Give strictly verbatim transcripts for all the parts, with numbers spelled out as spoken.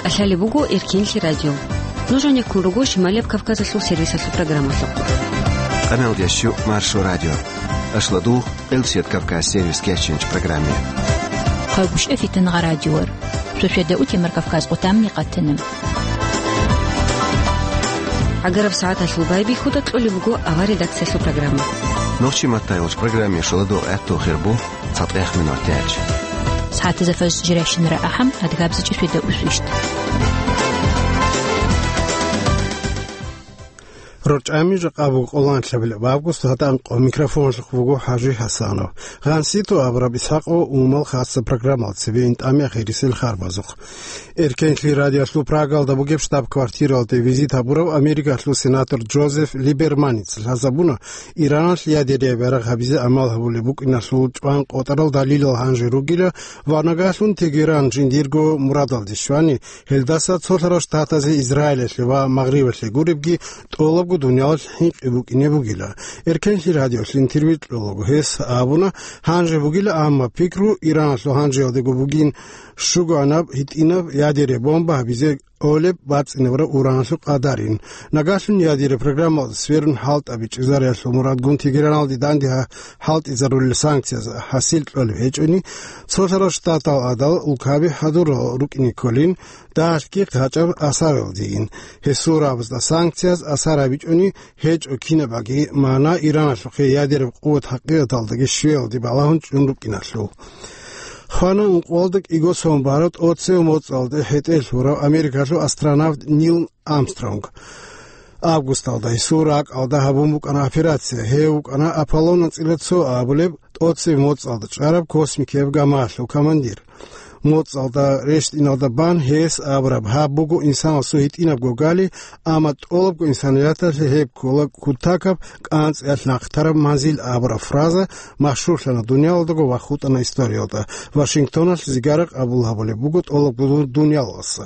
Лъалеб буго Эркенлъи радио. Нуж гьанеккун руго Шималияб Кавказалъул сервисалъул программалъухъ. Къаналдящу Маршо радио. Ашладу Къелсият Кавказ сервис кеченч программе. Хъайгушев Фитнагъа радиор. Шошеда утемар Кавказ къутамни къатана. Агараб сагӀаталъул байбихьуда кьолеб буго авар редакциялъул программа. Нохчи маттайолч программе шаладу гӀатту хирбу. ЦатӀехъ минутач. СагӀатазда фажр жирайщинара ахӀам, адгабзичӀеб шведа усвищ. РорчӀами жакъа буго къоланлъабилеб август гьатӀанкъо. Микрофонлъухъ буго ХӀажи ХӀасанов. Гъанситу абураб Исхакъо умал хасса программал цебе интӀами ахирисел харбазухъ. Эркенлъи радиолъул Прагалда бугеб штаб-квартиралде визит гьабурав Америкалъул сенатор Джозеф Либерманец лъазабуна, Ираналъ ядерия бярагъ гьабизе амал гьабулеб букӀиналъул чӀван къотӀарал далилал гьанже ругила ва нагагьлъун Тегеран жиндирго мурадалде щвани, гьелдаса цолъарал штатазе, Израилалъе ва Магърибалъе гуребги тӀолабго дуниялалъ хӀинкъи букӀине бугила. Эркенлъи радиолъ интервью кьолаго гьес абуна, гьанже бугила, амма пикру Ираналъул гьанжеялдего бугин, щугоанаб гьитӀинаб ядерия бомба гьабизе кӀолеб бацӀцӀинабураб ураналъул къадарин. Нагагьлъун ядерия программалда сверун хӀалтӀаби чӀезариялъул мурадгун Тегераналде данде гьа-, хӀалтӀизарулел санкцияз хӀасил кьолеб гьечӀони, цолъарал штатал гӀадал улкаби хӀадурал рукӀине кколин, дагьалъги гьачӀаб асаралдейин. Гьесул рагӀабазда санкцияз асар гьабичӀони гьечӀо кинабаги магӀна Ираналъухъе ядераб къуват хӀакъикъаталдаги щвеялде балагьун чӀун рукӀиналъул. Хвана ункъоялда кӀиго сон бараб тӀоцев моцӀалде хӀетӀе лъурав Америкалъул астронавт Нил Армстронг. Августалда гьесул ракӀалда гьабун букӀана операция. Гьев вукӀана Аполлон анцӀила цо абулеб тӀоцеб моцӀалда чӀараб космикияб гамаялъул командир. МоцӀалда рещтӀиналда бан гьес абураб: «Гьаб буго инсанасул гьитӀинабго гали, амма тӀолабго инсанияталъе гьеб ккола кутакаб кӀанцӀиялъ нахъ тараб манзил» абураб фраза машгьурлъана дуниялалдаго ва хутӀана историялда. Вашингтоналъ зигара къабул гьабулеб буго тӀолабго дуниялаласа.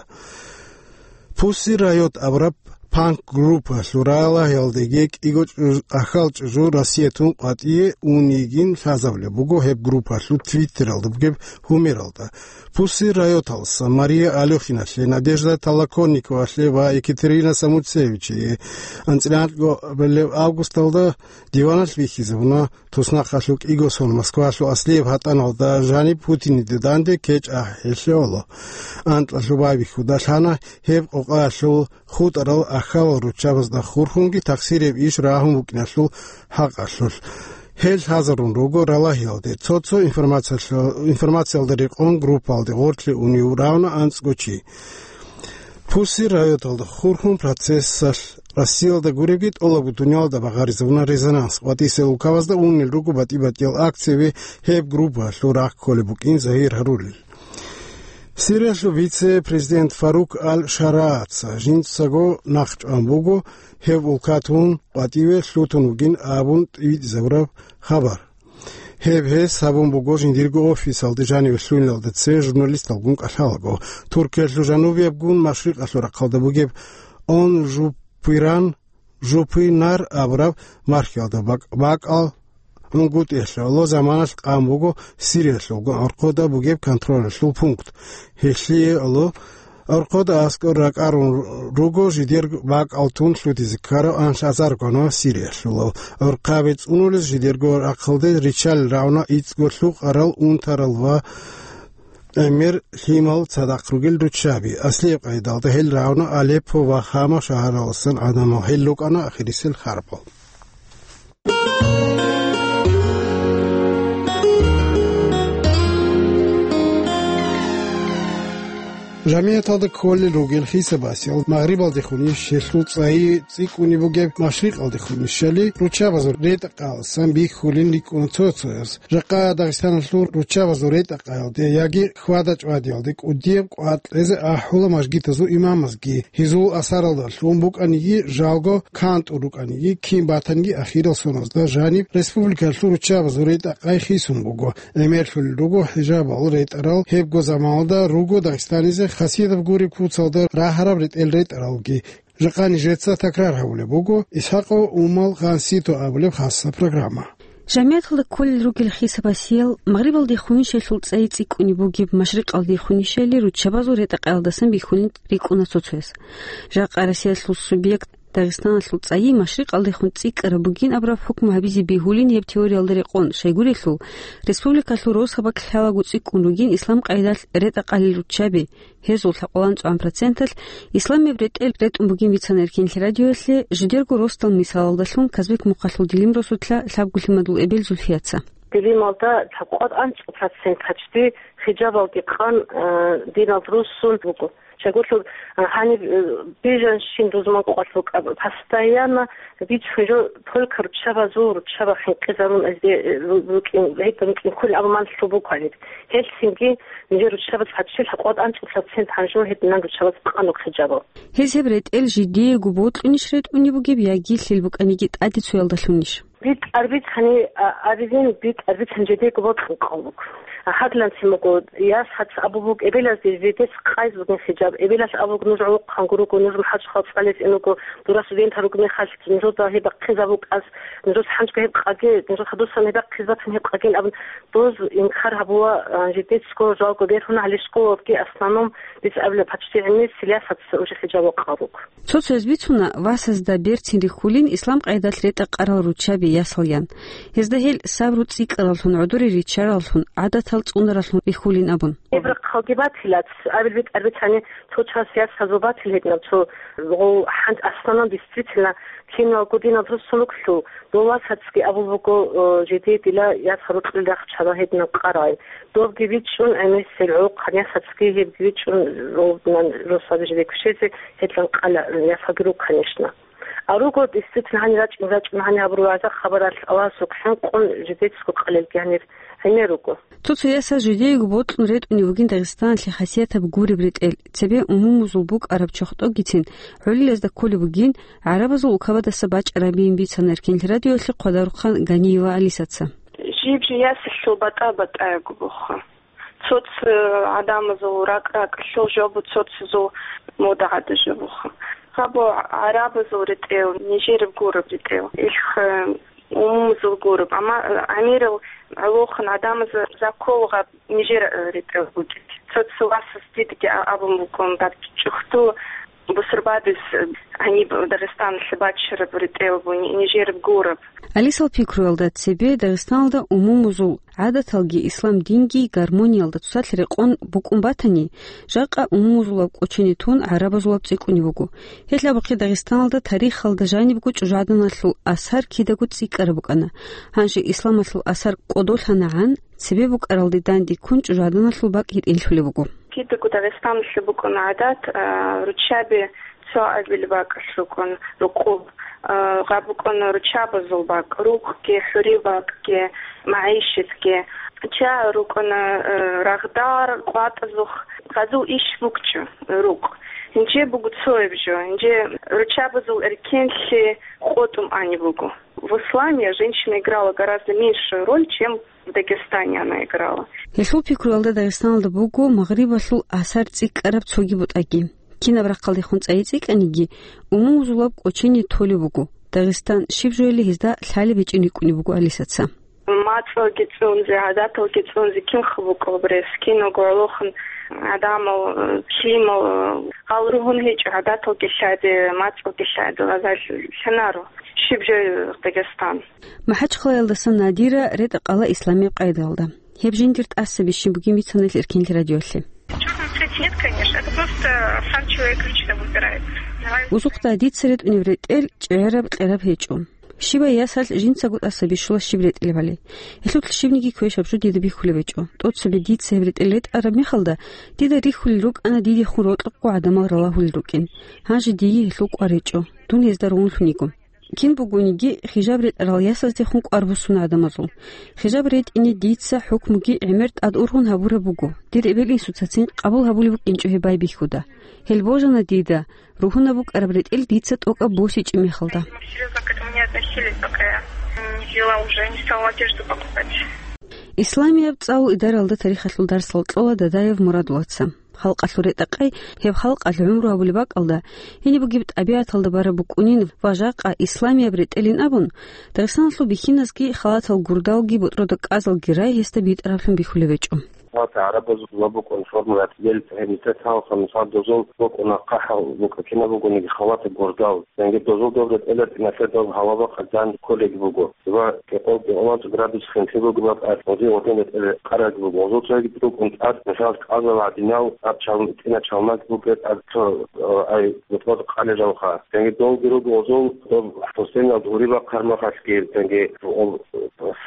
Пусси Райот абураб панк-группалъул ралагьиялдеги кӀиго чӀуж-, ахал чӀужу Россиятун къватӀие унигин лъазабулеб буго гьеб группалъул Твиттералда бугеб гьумералда. Пусси Райоталса Мария Алёхиналъе, Надежда Толоконниковалъе ва Екатерина Самуцевичие анцӀила анкьго августалда диваналъ бихьизабуна. Туснахъалъул кӀиго сон Москвалъул аслияб гьатӀаналда жаниб Путиниде данде кечӀ ахӀи лъоло. Анкьалъуб байбихьуда лъана гьеб къокъаялъул хутӀарал ахьалал руччабазда хурхунги тахсирияб иш рагьун букӀиналъул хӀакъалъулъ. Гьел лъазарун руго ралагьиялде, цо-цо информациялъ-, информациялда рекъон группалде гъорлъе унев равна анцӀго чи. Пусси Райоталда хурхун процессалъ Россиялда гуребги тӀолабго дуниялда багъаризабуна резонанс. ВатӀисел улкабазда унел руго батӀи-батӀиял акцияби гьеб группаялъул рахъ кколеб букӀин загьир гьарулел. Сириялъул вице-президент Фарук Ал-Шарааца жинцаго нахъчӀван буго гьев улкатун къватӀиве лъутун вугин абун тӀибитӀизабураб хабар. Гьеб гьес гьабун буго жиндирго офисалде жаниве лъугьиналда цее журналисталгун кӀалъалаго. Туркиялъул жанубиябгун машрикъалъул рахъалда бугеб Он Жупиран, Жупинар абураб мархиялда бакӀ-, бакӀал ГьунгутӀиялъ гӀоло заманалъ къан буго Сириялъулгун гӀорхъода бугеб контролалъул пункт. Гьелъие гӀоло гӀорхъода аскӀор ракӀарун руго жидер бакӀал тун лъутизе ккарав анлъазар гванав Сириялъулав. ГӀорхъаби цӀунулез жидерго рахъалде риччалел равна ицӀго лъукъарал, унтарал ва гӀемер лъимал цадахъ ругел руччаби. Аслияб къайдалда гьел равна Алеппо ва Хама шагьараласан гӀадамал, гьел рукӀана ахирисел харбал. Жамигьаталда кколел ругел хисабасел, Магърибалдехунищ, гьелъул цӀайи цӀикӀкӀунеб бугеб Машрикъалдехунищали, руччабазул ретӀа-къаласан бихьулин рикӀкӀуна цо-цояз. Жакъа Дагъистаналъул руччабазул ретӀа-къаялде яги хьвада-чӀвадиялде кӀудияб къватӀ кьезе ахӀула мажгитазул имамазги, гьезул асаралдалъун букӀаниги, жалго кантӀун рукӀаниги, кин батаниги ахирал соназда жаниб республикалъул руччабазул ретӀа-къай хисун буго. ГӀемерлъулел руго хӀижабал ретӀарал, гьебго заманалда руго Дагъистанизе хасиятаб гуреб куцалда рагьараб ретӀел ретӀаралги. Жакъа нижеца такрар гьабулеб буго Исхакъов Умал Гъансито абулеб хасса программа. Жамигьаталда кколел ругел хисабасиял, Магърибалдехунищайилъул цӀайи цӀикӀкӀунеб бугеб, Машрикъалдехунищайилъул руччабазул ретӀа-къаялдасан бихьулин рикӀкӀуна цо-цояс. Жакъа Россиялъул субъект Дагъистаналъул цӀайи Машрикъалдехун цӀикӀкӀараб бугин абураб хӀукму гьабизе бегьулин гьеб теориялда рекъон, щайгурелъул, республикалъул росабалъ лъалаго цӀикӀкӀун ругин ислам къайдалъ ретӀа-къалел руччаби, гьезул лъабкъоялда анцӀгоян проценталъ исламияб ретӀел ретӀун бугин бицана Эркенлъи радиоялъе, жидерго росдал мисалалдалъун Казбек-Мухъалъул Дилим росулъа Лъабго Лъимадул эбел Зульфияца. Дилималда лъабкъоялда анцӀго процент гьачди хижабалги къан, э, диналда руссун буго. Щайгурелъул, э, гьаниб, э, бижанщин рузман къвалъ букӀа, постоянно бицун жо только руччабазул, руччаба хӀинкъизарун азде, э, ру-, рукӀин, гьедин рукӀин кколин абун ман лъугьун буго гьаниб. Гьелъинги нижер руччабаз гьачил лъабкъоялда анцӀго процент гьанжо гьединан руччабаз къан руго хижабал. Гьез гьеб ретӀел жидеего бокьунищ ретӀунеб бугеб яги лъил букӀаниги тӀаде цоялдалъунищ? БитӀар бицани, а, абизин, битӀар бицани жидеего бокьун кколеб буго. Гьадинанцин буго, ясаца абулеб буго эбелазде жидец къайз бугин хижаб. Эбелалъ абулеб буго, нуж гӀолохъанго руго, нуж махӀачхъал цӀализе ин руго, дора студентал руго мехалъ, нужеда гьеб бахъизаб букӀаз, нужеца гьанжго гьеб къаге, нужеца хадусан гьеб бахъизе батани гьеб къагин абун, доз инкар гьабула, а, жидецго жалго бергьун гьале школалги, основном, дица абила, почти гӀемер ясаца уже хижаб бокьун руго. Цо-цояз бицуна, васазда берцин рихьулин ислам къайдалъ ретӀа-къарал руччаби ясал ян. Гьезда гьел сабру цӀикӀкӀараллъун, гӀодоре риччараллъун, гӀадатал цӀунараллъун рихьулин абун. Гьеб рахъалги батила, абил битӀар бицани, цо час ясазул батил гьединаб цо гъов хӀант, основном, действительно, киналго диналда руссун руклъул, дов васацги абулеб буго, э, жидее дила ясал рокьулел рахчала гьединаб къарай. Добги бичӀчӀун, гӀемер гӀолохъан ясацги гьебги бичӀчӀун, гьединан росаби жидее квешезе гьединан къала ясалги руго, конечно. А руго, действительно, гьаниб рачӀун-рачӀун, гьаниб гьабураб вагӀза-хабаралъ Аллагьасукьа хӀинкъун жидецго къалелги гьанир гӀемер руго. Цо-цо ясаз жидеего бокьун ретӀунеб бугин Дагъистаналъе хасиятаб гуреб ретӀел, цебе умумузул букӀараб чохтӀогицин гӀолилазда кколеб бугин, гӀарабазул улкабаздаса бачӀарабин бицана Эркенлъи радиоялъе Хъвадарухъан Ганиева Алисаца. Жиб-жиб ясалъул батӀа-батӀаяб буго. Цо-цо гӀадамазул ракӀ-ракӀалъул жо буго, цо-цозул мода гӀадаб жо буго. Гьаб гӀарабазул ретӀел, нижераб гуреб ретӀел, илх, э, умумузул гуреб. Амма, э, гӀемерал гӀолохъан гӀадамазда ккола гьаб нижер, э, ретӀел бугеб. Цо-цо васас дидеги а-, абун буго, дад чӀухӀдул бусурбабаз, э, гьаниб Дагъистаналъе бачараб ретӀел буго, ни-, нижераб гуреб. Алисал пикруялда, цебе Дагъистаналда умумузул гӀадаталги ислам динги гармониялда цоцалъ рекъон букӀун батани, жакъа умумузулаб кӀочене тун гӀарабазулаб цӀикӀкӀунеб буго. Гьелъ абухъе Дагъистаналда тарихалда жанибго чӀужугӀаданалъул асар кидаго цӀикӀкӀараб букӀана. Гьанже исламалъул асар кӀодолъанагӀан, цебе букӀаралде данде ккун чӀужугӀаданалъул бакӀ гьитӀинлъулеб буго. Кидаго Дагъистаналъе букӀана гӀадат, а, руччаби цо абил бакӀалъ рукӀун рукъул, а, гьаб букӀана руччабазул бакӀ, рукъги, хӀурил бакӀги, магӀишатги. Ча рукӀана, а, рагъдар, къватӀазухъ, гьазул иш букӀчӀо рукъ. Гьанже буго цояб жо, гьанже руччабазул эркенлъи къотӀун аниб буго. В исламе женщина играла гораздо меньшую роль, чем в Дагестане она играла. Гьелъул пикруялда Дагъистаналда буго Магърибалъул асар цӀикӀкӀараб цоги бутӀаги. Кинаб рахъалдехун цӀайи цӀикӀкӀаниги, умумузулаб кӀочене толеб буго. Дагъистан щиб жояли гьезда лъалеб гьечӀин рикӀкӀунеб буго Алисаца. МацӀалги цӀунзе, гӀадаталги цӀунзе кинха букӀараб рес, киналго гӀолохъан гӀадамал, э, лъимал, э, гьал ругьун гьечӀо, гӀадаталги лъади, мацӀалги лъади, гьазал лъанаро. Щиб жо Дагъистан? МахӀачхъалаялдаса Надира ретӀа-къала исламияб къайдаялда. Гьеб жиндир тӀасаби щиб бугин бицана Эркенлъи радиоялъе. Чёрный цвет нет, конечно. Это просто сам человек лично выбирает. Давай. Узухъда дица ретӀунеб ретӀел чӀегӀераб-кьераб гьечӀо. Щибай ясалъ жинцаго тӀаса бищула щиб ретӀелебали. Гьелъулъ щибниги квешаб жо дида бихьулеб гьечӀо. ТӀоцаби дица гьеб ретӀел ретӀараб мехалда, дида рихьулел рукӀана дидехун рокьукъго гӀадамал ралагьулел рукӀин. Гьанже дие гьелъул кӀвар гьечӀо, дун гьезда ругьунлъун йиго. Кин бугониги, хижаб ретӀарал ясаздехун кӀвар буссун гӀадамазул. Хижаб ретӀине дица хӀукмуги гӀемер тӀад ургъун гьабураб буго, дир эбел-инсуцацин къабул гьабулеб букӀинчӀо гьеб байбихьуда. Гьел божана дида, ругьунаб букӀараб ретӀел дица тӀокӀаб босичӀеб мехалда. Серьёзно к этому не относились, пока я не взяла уже, не стала одежду покупать. Исламияб цӀалул идаралда тарихалъул дарсал кьола Дадаев Мурадулаца. халкъалъул ретӀа-къай, гьеб халкъалъ гӀумру гьабулеб бакӀалда, гьениб бугеб тӀабигӀаталда бараб букӀунин ва жакъа исламияб ретӀелин абун, Дагъистаналъул бихьиназги халатал гурдалги ботӀрода кӀазалги рай гьесда битӀараблъун бихьулеб гьечӀо. Халат гӀарабазул ва букӀун формулат гьел гьеб нилъер талхъан, мисал, дозул букӀуна хъахӀал букӀа кинаб бугониги халат гурдал. Цинги дозул доб ретӀел ретӀиналъе доб гьаваба къагдан кколеги буго ва кӀикъоялда градус хинлъи бугеб бакӀалъ гъозие гъодин ретӀел къараги буго. Гъозул цоги букӀун тӀад, мисал, кӀазал гӀадинал тӀад чал-, тӀина чалмаги буго, тӀад цо, э, ай, бутӀрод къалел жалха. Цинги долги руго гъозул доб хӀусеналда гьури бахъармахалъги, цинги, о,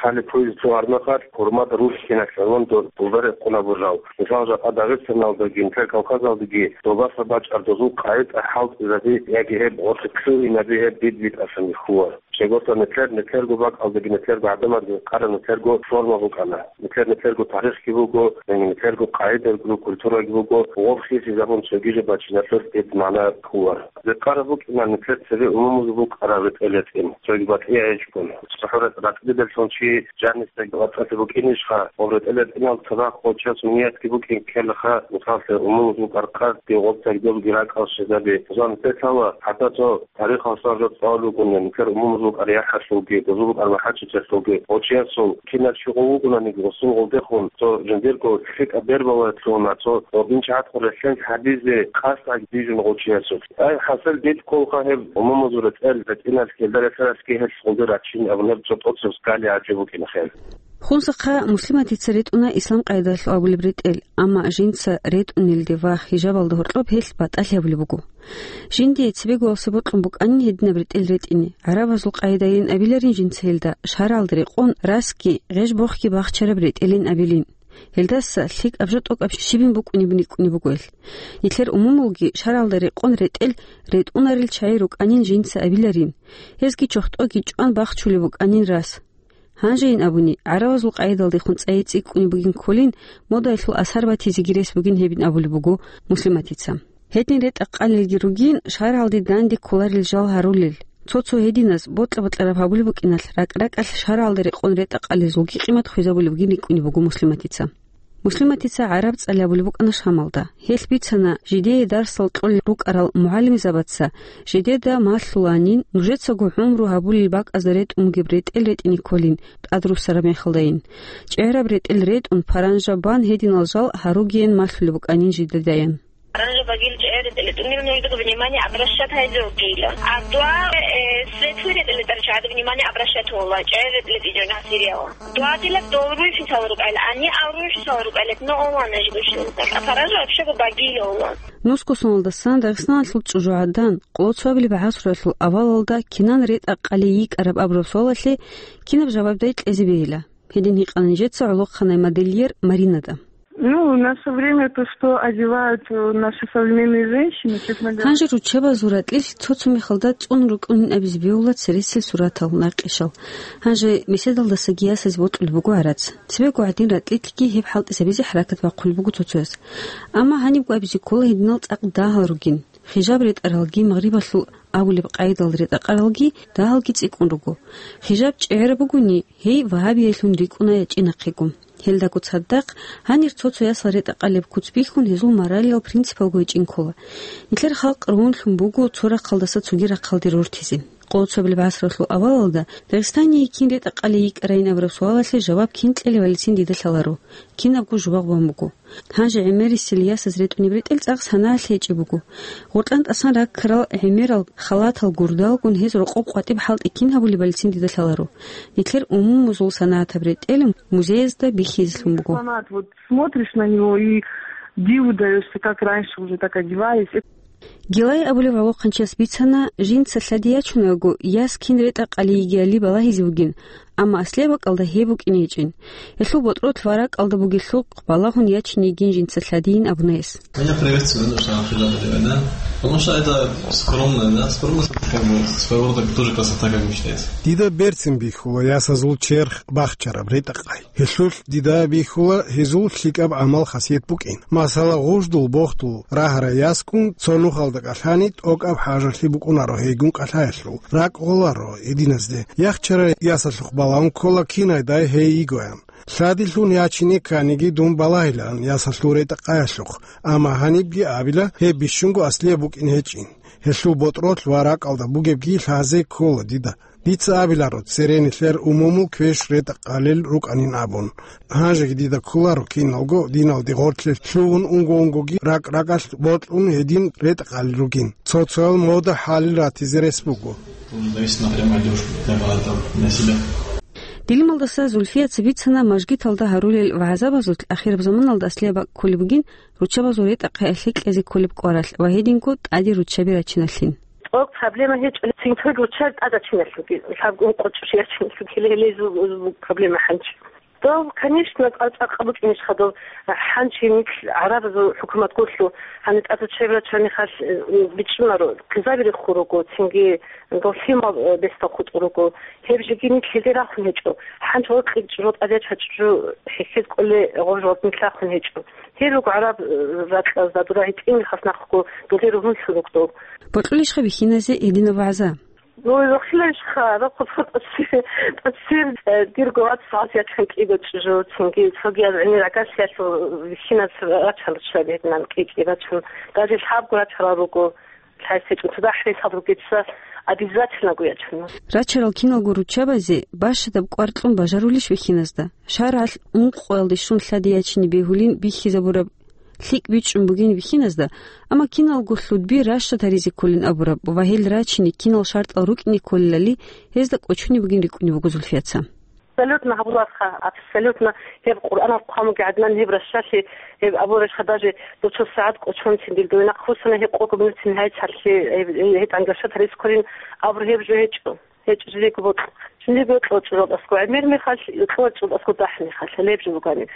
хали пуйзе цо гьармахалъ, гьурмада рухьиналъ гӀолон доб гьурба рекъон абурал. Мисал, жакъа Дагъистаналдаги, нилъер Кавказалдаги добаса бачӀар дозул къайи-тӀахӀалтӀизаби яги гьеб гъорлъ лъугьинаби гьеб бид-битӀасан бихьула. Щегорта нилъер, нилъерго бакӀалдаги, нилъерго гӀадамаздаги къараб нилъерго форма букӀана. Нилъер, нилъерго тарихги буго, нилъерго къайидаги буго, культураги буго, гъоб хисизабун цоги жо бачиналъулъ гьеб магӀна ккола. Рекъараб букӀина нилъер цебе умумузул букӀараб ретӀел ретӀин, цоги батӀияб гьечӀого. ЦохӀо ретӀ-, ретӀелалъул чи жанисдаги вацӀцӀалъи букӀинищха? Гъоб ретӀел ретӀинал цадахъ гъов чиясул ниятги букӀин ккелаха, мисаллъи, умумузул букӀараб къасдги гъоб цогидабги ракӀал щвезаби. Зан тетала, хӀатта цо тарихалъул жо цӀалулгун, нилъер умумузул букӀар яхӀалъулги, дозул букӀар магӀарчӀиялъулги, гъов чиясул кинав чи гъов вугонаниги, гъосул гъолдехун цо жиндирго лъикӀаб бербалаялъугьуна, цо гъоб инчагӀатго релълъен гьабизе къасд гьабизе бижун гъов чиясулъ. Ай, хӀасил, дид кколха гьеб умумузул ретӀел ретӀиналъ гьелда релълъаралъги гьелъ гъолда рачин абунеб цо тӀоцеб скали гӀажиб букӀина хел. Хунсахъа Муслиматица ретӀуна ислам къайдалъ абулеб ретӀел, амма жинца ретӀунелде ва хижабалда гьоркьоб гьелъ батӀалъи гьабулеб буго. Жиндие цебегоялъе бокьун букӀанин гьединаб ретӀел ретӀине, гӀарабазул къайдайин абиларин жинца гьелда, шаргӀалда рекъон расги гъеж-бохги бахчараб ретӀелин абилин. Гьелдаса лъикӀаб жо тӀокӀаб щибин букӀунеб рикӀкӀунеб буго гьелъ. Нилъер умумулги шаргӀалда рекъон ретӀел ретӀунарел чагӀи рукӀанин жинца абиларин, гьезги чохтӀоги чӀван бахчулеб букӀанин рас. Гьанжейин абуни, гӀарабазул къайдалдехун цӀайи цӀикӀкӀунеб бугин кколин, модаялъул асар батизеги рес бугин гьебин абулеб буго Муслиматица. Гьедин ретӀа-къалелги ругин, шаргӀалде данде кколарел жал гьарулел. Цо-цо гьединаз бокьа-бокьараб гьабулеб букӀиналъ, ракӀ-ракӀалъ шаргӀалда рекъон ретӀа-къалезулги къимат хвезабулеб бугин рикӀкӀунеб буго Муслиматица. Муслиматица гӀараб цӀалияб абулеб букӀана Шамалда. Гьелъ бицана, жидее дарсал кьолел рукӀарал мугӀалимзабаца жидеда малъуланин, нужецаго гӀумру гьабулел бакӀазда ретӀун бугеб ретӀел ретӀине кколин тӀадруссараб мехалдайин. ЧӀегӀераб ретӀел ретӀун, паранжа бан гьединал жал гьаругеян малъулеб букӀанин жидедаян. Паранжа багил чӀегӀер ретӀел ретӀунел нужедаго внимание обращать гьайзе вукӀила. А дуа, э, светлый ретӀел ретӀарал чагӀазда внимание обращать гьула, чӀегӀер ретӀел ретӀичӀо гьасирияла. Дуадилаб дол руй фисал рукӀайла, гьанни ав руй фисал рукӀайла, но ована жидущин. А паража вообще-го багила ован. Нусго соналдасан Дагъистаналъул чӀужугӀадан, къоло цоабилеб гӀасралъул авалалда кинан ретӀа-къалей йикӀараб абураб суалалъе кинаб жавабдай кьезе бегьила? Гьедин гьикъана нижеца гӀолохъанай модельер Маринада. Ну, в наше время то, что одевают, э, наши современные женщины, честно говоря. Гьанже руччабазул ратӀлилъ цо-цо мехалда цӀун рукӀунин абизе бегьула цересел суратал, накъишал. Гьанже меседалдасаги ясазе бокьулеб буго гӀарац. Цебего гьадин ратӀлилъги гьеб хӀалтӀизабизе хӀаракат бахъулеб буго цо-цояс. Амма гьанибго абизе ккола гьединал цӀакъ дагьал ругин. Хижаб ретӀаралги, магърибалъул абулеб къайдал ретӀа-къаралги дагьалги цӀикӀкӀун руго. Хижаб чӀегӀераб бугони, гьей вагьабиялъун рикӀкӀуна ячӀи нахъего. Гьелдаго цадахъ, гьанир цо-цо ясал ретӀа-къалеб куц бихьун, гьезул моралиял принципалго гьечӀин ккола. Нилъер халкъ ругьунлъун буго цо рахъалдаса цоги рахъалде рортизе. Къоло цоабилеб гӀасралъул авалалда Дагъистание кин ретӀа-къалей йикӀарайин абураб суалалъе жаваб кин кьелевалицин дида лъаларо, кинабго жубагъ бан буго. Гьанже гӀемерисел ясаз ретӀунеб ретӀел цӀакъ санагӀалъ гьечӀеб буго. Гъоркьан тӀасан раккарал гӀемерал халатал гурдалгун гьез рокъоб къватӀиб хӀалтӀи кин гьабулебалицин дида лъаларо. Нилъер умумузул санагӀатаб ретӀел музеязда бихьизелъун буго. Экспонат, вот смотришь на него и диву даёшься, как раньше уже так одевались. Гилай абулев гӀолохъанчияс бицана, жинца лъади ячунаго, яс кин ретӀа-къали йигиали балагьизе вугин, амма аслияб бакӀалда гьеб букӀине гьечӀин. Гьелъул ботӀролъ ва ракӀалда бугелъулъ балагьун ячине йигин жинца лъадийин абуна гьес. Меня приветствует душа хиджаб одевать, да? Потому что это скромно, да? Скромность — это как бы своего рода тоже красота, как бы считается. Дида берцин бихьула ясазул черх бахчараб ретӀа-къай. Гьелъулъ дида бихьула гьезул лъикӀаб гӀамал-хасият букӀин. Масала, гъуждул-бохдул рагьарай яскун цо нухалда кӀалъани, тӀокӀаб хӀажалъи букӀунаро гьейгун кӀалъаялъул, ракӀ гъоларо гьединазде. Яхчарай ясалъухъ балагьун ккола кинайдай гьей йигоян. Лъадилъун ячине кканиги дун балагьилаан ясалъул ретӀа-къаялъухъ, амма гьанибги абила, гьеб бищунго аслияб букӀин гьечӀин. Гьелъул ботӀролъ ва ракӀалда бугебги лъазе ккола дида. Дица абиларо, цере нилъер умумул квеш ретӀа-къалел рукӀанин абун. Гьанжеги дида кколаро киналго диналде гъорлъе лъугьун унго-унгоги ракӀ-ракӀалъ бокьун гьедин ретӀа-къалел ругин. Цо-цоял мода хӀалил ратизе рес буго. Зависит, смотря молодёжь, как она там на себя. Дилималдаса Зульфияца бицана мажгиталда гьарулел вагӀзабазулъ ахираб заманалда аслияб бакӀ кколеб бугин руччабазул ретӀа-къаялъ кьезе кколеб кӀваралъ ва гьединго тӀаде руччаби рачиналъин. ТӀокӀ проблема гьечӀо, цинги руччаби тӀад рачиналъуги, лъабго ункъо чӀужу рачиналъуги, гьеле-гьелезул проблема гьанчи. Дов, конечно, цӀакъ букӀинищха дов, гьанчи нилъ гӀарабазул хӀукумат гурлъу, гьаниб тӀад руччаби рачани хал, э, бичӀчӀунаро, хъизаби рехун руго, цинги дов лъимал, э, бесдал хутӀун руго. Гьеб жеги нилъ гьезде рахун гьечӀо. ХӀанчи гъоркье чӀужу тӀаде чӀужу хӀехьез кӀоле гъоржалд нилъ рахун гьечӀо. Гьел руго гӀараб, э, ракьазда дура гьитӀинги хас нахъго дуде ругьунлъун ругдул. Бокьулищха бихьиназе гьединаб вагӀза? Ну, рахилайищха, рахъу тӀасир, тӀасир, э, дирго вац гьас ячан кӀиго чӀужу, цинги цогияз гӀемер агарсиялъул вихьиназ рачан руччаби гьединан кӀи-кӀи рачан. Даже лъабго рачарал руго. ЛъайсечӀун цадахӀ ресал ругеца обязательно гуячана. Рачарал киналго руччабазе бащадаб кӀвар кьун бажарулищ вихьиназда? ШаргӀалъ ункъоялде щун лъади ячине бегьулин бихьизабураб лъикӀ бичӀчӀун бугин вихьиназда, амма киналго лъудби ращад гьаризе кколин абураб ва гьел рачине кинал шартӀал рукӀине кколелали, гьезда кӀочунеб бугин рикӀкӀунеб буго Зульфияца. Абсолютно гьабуларха, абсолютно гьеб Къуръанал хъван бугеб гӀадинан гьеб ращалъи, гьеб абуралъха даже дуца сагӀат кӀочонцин дир дойнахъ хусана гьеб къого минутцин гьайцалъи, гьеб, гьеб тӀангашат гьарискорин абур гьеб жо гьечӀо. ГьечӀо жиндиего бокьа. Жиндиего йокьо чӀужуялдасго гӀемер мехалъ, йокьо чӀужуялдасго дагь мехалъ, гьеб жо бугони.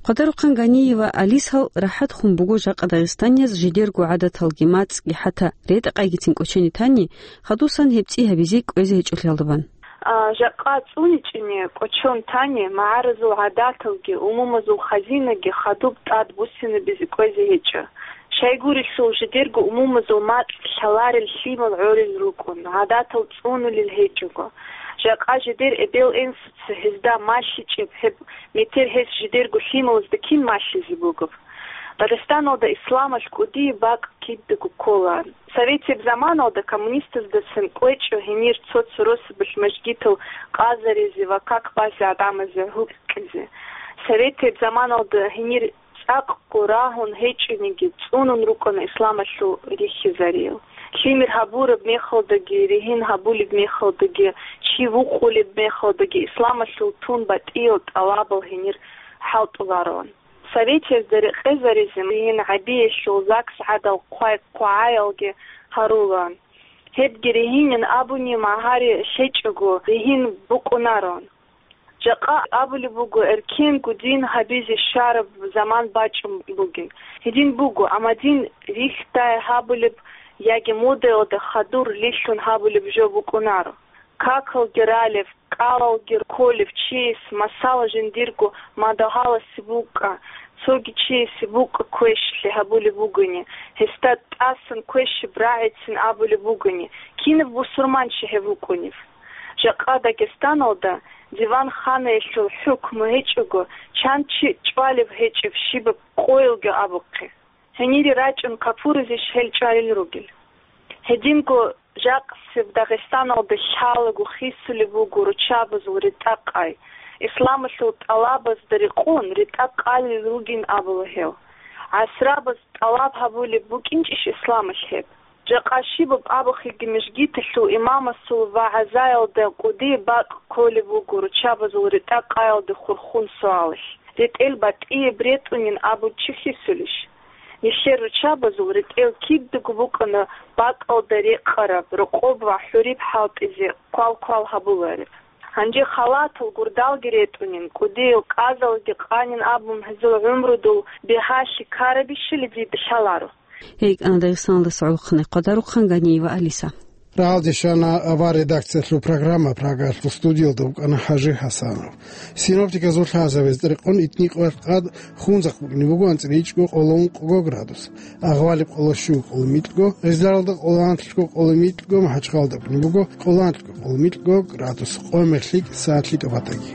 Хъвадарухъан Ганиева Алисал рахӀат хун буго жакъа дагъистанияз жидерго гӀадаталги мацӀги хӀатта ретӀа-къайгицин кӀочене тани, хадусан гьеб цӀи гьабизе кӀвезе гьечӀолъиялда бан. А, жакъа цӀуничӀони кӀочон тани, магӀаразул гӀадаталги, умумузул хазинаги хадуб тӀад буссинабизе кӀвезе гьечӀо. Щайгурелъул жидерго умумузул макь лъаларел лъимал гӀорил рукӀун, гӀадатал цӀунулел гьечӀого. Жакъа жидер эбел-инсуца гьезда малъичӀеб гьеб метер гьес жидерго лъималазда кин малъизе бугеб? Дагъистаналда исламалъ кӀудияб бакӀ кидаго ккола. Советияб заманалда коммунистаздасан кӀвечӀо гьенир цо-цо росабалъ мажгитал къазаризе ва как базе гӀадамазе гьукъизе. Советияб заманалда гьенир цӀакъго рагьун гьечӀониги, цӀунун рукӀана исламалъул рихьизариял. Лъимер гьабураб мехалдаги, ригьин гьабулеб мехалдаги, чи вукъулеб мехалдаги исламалъул тун батӀиял тӀалабал гьенир хӀалтӀулароан. Советиязда рекъезаризе ригьин гьабиялъул ЗАГС гӀадал хъвай-хъвагӀаялги гьарулаан. Гьебги ригьинин абуни магьари лъечӀого ригьин букӀунароан. Жакъа абулеб буго, эркенго дин гьабизе щвараб заман бачӀун бугин. Гьедин буго, амма дин рихьдай гьабулеб яги модаялда хадур лъилъун гьабулеб жо букӀунаро. Какалги ралев, кӀалалги кколев чияс, масала, жиндирго мадугьаласе букӀа, цоги чиясе букӀа квешлъи гьабулеб бугони, гьесда тӀасан квешаб рагӀицин абулеб бугони, кинаб бусурманчи гьев вукӀунев? Жакъа Дагестаналда диван-ханаялъул хӀукму гьечӀого, чан чи чӀвалев гьечӀев щибаб къоялги абухъе. Гьенире рачӀун капуризищ гьел чӀвалел ругел? Гьединго жакъасеб Дагъистаналда лъалаго хисулеб буго руччабазул ретӀа-къай, исламалъул тӀалабазда рекъон ретӀа-къалел ругин абула гьев. ГӀасрабаз тӀалаб гьабулеб букӀинчӀищ исламалъ гьеб? Жакъа щибаб абухъеги мижгиталъул имамасул вагӀзаялда кӀудияб бакӀ кколеб буго руччабазул ретӀа-къаялде хурхун суалалъ, ретӀел батӀияб ретӀунин абун чи хисулищ? Нилъер руччабазул ретӀел кидаго букӀана бакӀалда рекъараб, рокъоб ва хӀуриб хӀалтӀизе квал-квал гьабулареб. Гьанже халатал гурдалги ретӀунин, кӀудиял кӀазалги къанин абун гьезул гӀумрудул бигьалъи ккарабищали дида лъаларо. ГьикӀана Дагъистаналдаса гӀолохъанай хъвадарухъан Ганиева Алиса. Рагьалде щвана авар редакциялъул программа, Прагаялъул студиялда вукӀана ХӀажи ХӀасанов. Синоптиказул лъазабазда рекъон итни къоялъ къад хунзахъ букӀине буго анцӀила ичӀго къоло ункъго градус, Агъвалиб къоло щуго къоло микьго, Гъизларалда къоло анлъго къоло микьго, МахӀачхъалда букӀине буго къоло анлъго къоло микьго градус, къо-мех лъикӀ саатлъи тӀубатаги.